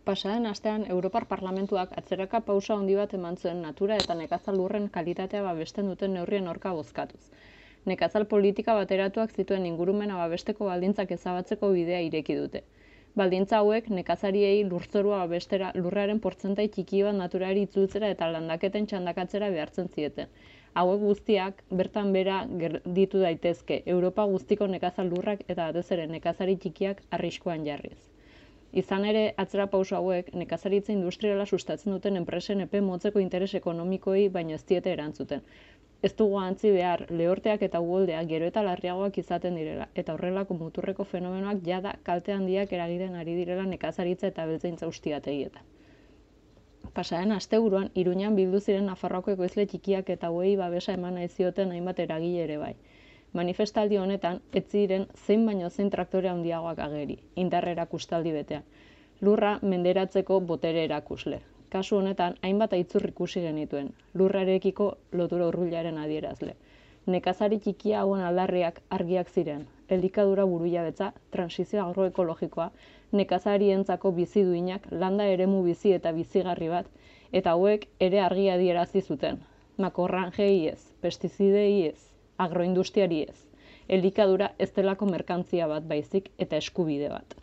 Pasaden astean Europar Parlamentuak atzeraka pausa handi bat eman zuen natura eta nekazal lurren kalitatea babesten duten neurrien aurka bozkatuz. Nekazal politika bateratuak zituen ingurumena babesteko baldintzak ezabatzeko bidea ireki dute. Baldintza hauek nekazariei lurzorua babestera lurraren portzentai txiki bat naturari itzultzera eta landaketen txandakatzera behartzen zieten. Hauek guztiak bertan bera gelditu daitezke, Europa guztiko nekazal lurrak eta batez ere nekazari txikiak arriskuan jarriz. Izan ere, atzera pauso hauek, nekazaritza industriala sustatzen duten enpresen epe motzeko interes ekonomikoei baino ez diete erantzuten. Ez dugu ahantzi behar, lehorteak eta uholdeak gero eta larriagoak izaten direla, eta horrelako muturreko fenomenoak jada kalte handiak eragiten ari direla nekazaritza eta abeltzaintza ustiategietan. Pasaden asteburuan, Iruñan bildu ziren Nafarroako ekoizle txikiak eta hauei babesa eman nahi zioten hainbat eragile ere bai. Manifestaldi honetan, ez ziren zein baino zein traktore handiagoak ageri, indar erakustaldi betean. Lurra menderatzeko botere erakusle. Kasu honetan, hainbat aitzur ikusi genituen, lurrarekiko lotura hurbilaren adierazle. Nekazari txikia hauen aldarriak argiak ziren, elikadura burujabetza, transizio agroekologikoa, nekazarientzako bizi duinak, landa eremu bizi eta bizigarri bat, eta hauek ere argi adierazi zuten. Makorranjei ez, pestizidei ez, agroindustriari ez. Elikadura ez delako merkantzia bat baizik eta eskubide bat.